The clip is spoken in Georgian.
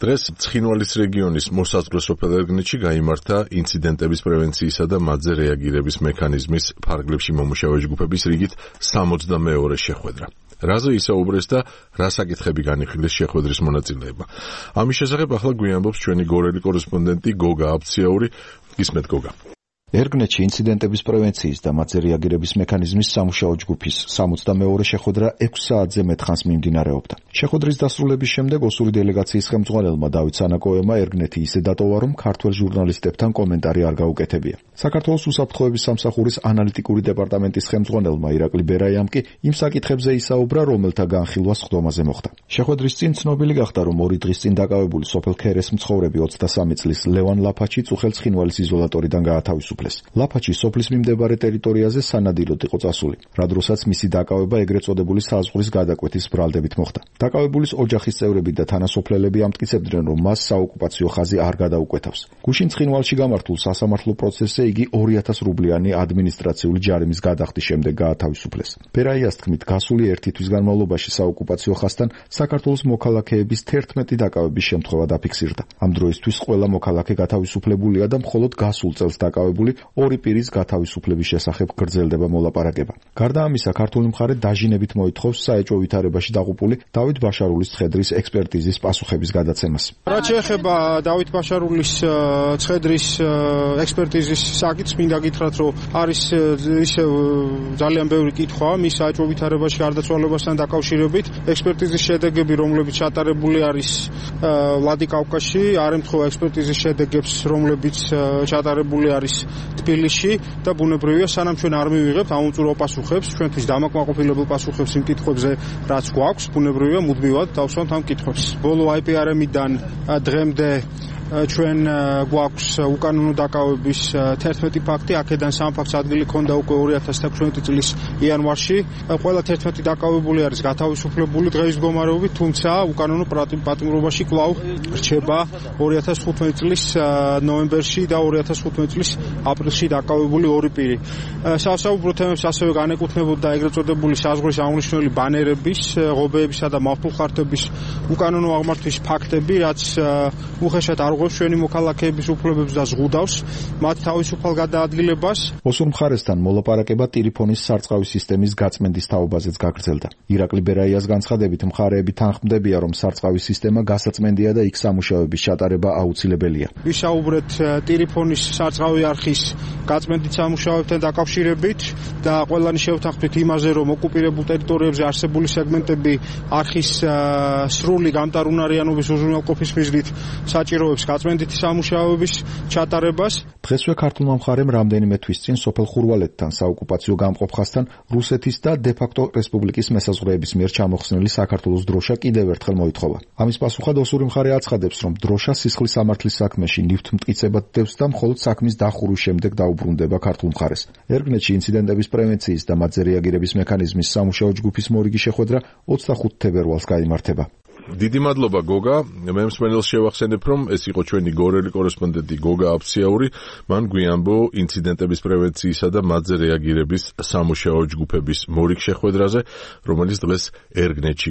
დღეს ცხინვალის რეგიონის მოსაზღვრე სოფელ ერგნეთში გაიმართა ინციდენტების პრევენციისა და მათზე რეაგირების მექანიზმის ფარგლებში მომუშავე ჯგუფების რიგით 62 შეხვედრა. რაზე ისაუბრეს და რა საკითხები განიხილეს შეხვედრის მონაწილეებმა. ამის შესახებ ახლა გვიამბობს ჩვენი გორელი კორესპონდენტი გოგა აბციაური. ისმეთ გოგა. ერგნეთში ინციდენტების პრევენციის და მათზე რეაგირების მექანიზმის სამუშაო ჯგუფის 62 შეხვედრა 6 საათზე მეტხანს მიმდინარეობდა. შეხვედრის დასრულების შემდეგ ოსური დელეგაციის ხელმძღვანელმა დავით სანაკოევმა ერგნეთი ისე დატოვა, რომ ქართველ ჟურნალისტებთან კომენტარი არ გაუკეთებია. საქართველოს უსაფრთხოების სამსახურის ანალიტიკური დეპარტამენტის ხელმძღვანელმა ირაკლი ბერაიამ კი იმ საკითხებზე ისაუბრა, რომელთა განხილვა სხდომაზე მოხდა. შეხვედრის წინ ცნობილი გახდა, რომ 2 დღის წინ დაკავებული სოფელ ქერეს მცხოვრები 23 წლის ლევან ლაფაჩი წუხელ ცხინვალის იზოლატორიდან გაათავისუფლეს. ლაფაჩი სოფლის მიმდებარე ტერიტორიაზე სანადიროდ იყო წასული, რა დროსაც მისი დაკავება ეგრეთ წოდებული საზღვრის გადაკვეთის ბრალდებით მოხდა. დაკავებულის ოჯახის წევრები და თანასოფლელები ამტკიცებდნენ, რომ მას საოკუპაციო ხაზი არ გადაუკვეთავს. გუშინ ცხინვალში გამართულ სასამართლო პროცესზე იგი 2000 რუბლიანი ადმინისტრაციული ჯარიმის გადახდის შემდეგ გაათავისუფლეს. ბერაიას თქმით, გასული 1 თვის განმავლობაში საოკუპაციო ხაზთან საქართველოს მოქალაქეების 11 დაკავების შემთხვევა დაფიქსირდა. ამ დროისთვის ყველა მოქალაქე გათავისუფლებულია და მხოლოდ გასულ წელს დაკავებული 2 პირის გათავისუფლების შესახებ გრძელდება მოლაპარაკება. გარდა ამისა, ქართული მხარე დაჟინებით მოითხოვს საეჭვო ვითარებაში დაღუპული დავით ბაშარულის ცხედრის ექსპერტიზის პასუხების გადაცემას. რაც შეეხება დავით ბაშარულის ცხედრის ექსპერტიზის საკითხს, მინდა გითხრათ, რომ არის ისევ ძალიან ბევრი კითხვა მის საეჭვო ვითარებაში გარდაცვალებასთან დაკავშირებით. ექსპერტიზის შედეგები, რომლებიც ჩატარებული არის ვლადიკავკაზში, არ ემთხვევა ექსპერტიზის შედეგებს, რომლებიც ჩატარებული არის თბილისში და ბუნებრივია, სანამ ჩვენ არ მივიღებთ აუმწურო პასუხებს, ჩვენთვის დამაკმაყოფილებელ პასუხებს იმ კითხვებზე, რაც გვაქვს, ბუნებრივია, მუდმივად დავსვამთ ამ კითხვებს. ბოლო IPRM-დან დღემდე ჩვენ გვაქვს უკანონო დაკავების 11 ფაქტი, აქედან 3 ფაქტს ადგილი ჰქონდა უკვე 2016 წლის იანვარში. ყველა 11 დაკავებული არის გათავისუფლებული დღეის მდგომარეობით, თუმცა უკანონო პატიმრობაში კვლავ რჩება 2015 წლის ნოემბერში და 2015 წლის აპრილში დაკავებული 2 პირი. სასაუბრო თემებს ასევე განეკუთვნებოდა ეგრეთ წოდებული საზღვრის აღნიშნული ბანერების, ღობეებისა და მავთულხართების უკანონო აღმართვის ფაქტები, რაც უხეშად არ ჩვენი მოქალაქეების უფლებებს და ზღუდავს მათ თავისუფალ გადაადგილებას. ოსურ მხარესთან მოლაპარაკება ტელეფონის სარწყავი სისტემის გაწმენდის თაობაზეც გაგრძელდა. ირაკლი ბერაიას განცხადებით, მხარეები თანხმდებიან, რომ სარწყავი სისტემა გასაწმენდია და იქ სამუშაოების ჩატარება აუცილებელია. ვისაუბრეთ ტელეფონის სარწყავი არხის გაწმენდით სამუშაოებთან დაკავშირებით და ყველანი შევთანხმდით იმაზე, რომ ოკუპირებულ ტერიტორიებზე არსებული სეგმენტები არხის სრული გამტარუნარიანობის უზრუნველყოფის მიზნით საჭიროებს გაწმენდითი სამუშაოების ჩატარებას. დღესვე ქართულმა მხარემ რამდენიმე თვის წინ სოფელ ხურვალეთთან საოკუპაციო გამყოფ ხაზთან რუსეთის და დე-ფაქტო რესპუბლიკის მესაზღვრეების მიერ ჩამოხსნილი საქართველოს დროშა კიდევ ერთხელ მოითხოვა. ამის პასუხად ოსური მხარე აცხადებს, რომ დროშა სისხლის სამართლის საქმეში ნივთმტკიცებად დევს და მხოლოდ საქმის დახურვის შემდეგ დაუბრუნდება ქართულ მხარეს. ერგნეთში ინციდენტების პრევენციის და მათზე რეაგირების მექანიზმის სამუშაო ჯგუფის მორიგი შეხვედრა 25 თებერვალს გაიმართება. დიდი მადლობა გოგა. მე მსმენელს შევახსენებ, რომ ეს იყო ჩვენი გორელი კორესპონდენტი გოგა აბციაური. მან გვიამბო ინციდენტების პრევენციისა და მათზე რეაგირების სამუშაო ჯგუფების მორიგ შეხვედრაზე, რომელიც დღეს ერგნეთში